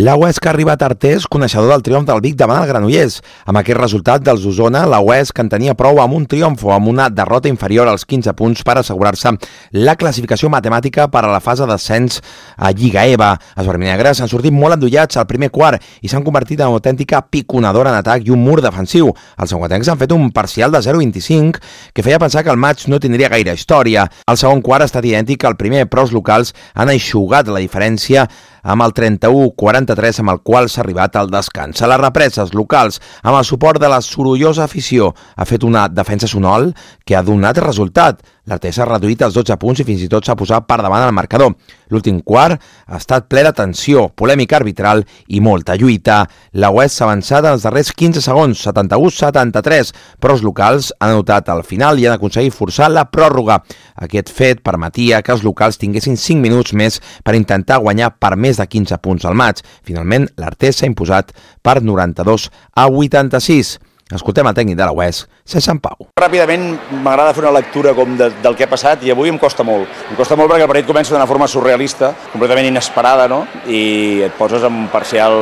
La Huesca ha arribat a Artés, coneixedor del triomf del Vic davant el Granollers. Amb aquest resultat dels d'Osona, la Huesca en tenia prou amb un triomf o amb una derrota inferior als 15 punts per assegurar-se la classificació matemàtica per a la fase d'ascens a Lliga EVA. Els vermells han sortit molt endollats al primer quart i s'han convertit en una autèntica piconadora en atac i un mur defensiu. Els sanguatencs han fet un parcial de 0-25 que feia pensar que el maig no tindria gaire història. El segon quart ha estat idèntic al primer, però els locals han eixugat la diferència amb el 31-43 amb el qual s'ha arribat al descans. A les represes locals, amb el suport de la sorollosa afició, ha fet una defensa sonol que ha donat resultat. L'Artés ha reduït els 12 punts i fins i tot s'ha posat per davant al marcador. L'últim quart ha estat ple de tensió, polèmica arbitral i molta lluita. La Huesca s'ha avançat en els darrers 15 segons, 71-73, però els locals han anotat al final i han aconseguit forçar la pròrroga. Aquest fet permetia que els locals tinguessin 5 minuts més per intentar guanyar per més de 15 punts al maig. Finalment, l'Artés s'ha imposat per 92-86. Escoltem el tècnic de la Huesca, César Pau. Ràpidament m'agrada fer una lectura del que ha passat i avui em costa molt. Em costa molt perquè el partit comença d'una forma surrealista, completament inesperada, no? I et poses en un parcial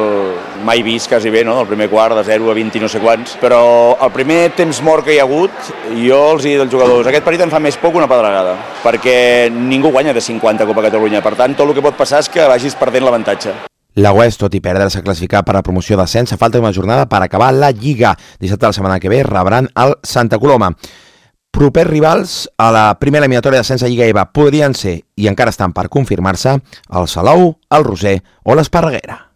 mai vist quasi bé, no? El primer quart de 0 a 20 i no sé quants. Però el primer temps mort que hi ha hagut, jo els he dit als jugadors, aquest partit em fa més por que una pedregada, perquè ningú guanya de 50 a Copa Catalunya. Per tant, tot el que pot passar és que vagis perdent l'avantatge. La Huesca, tot i perdre, s'ha classificat per a promoció d'ascens a falta d'una jornada per acabar la Lliga. Dissabte de la setmana que ve rebran el Santa Coloma. Propers rivals a la primera eliminatòria d'ascens a Lliga EVA podrien ser, i encara estan per confirmar-se, el Salou, el Roser o l'Esparreguera.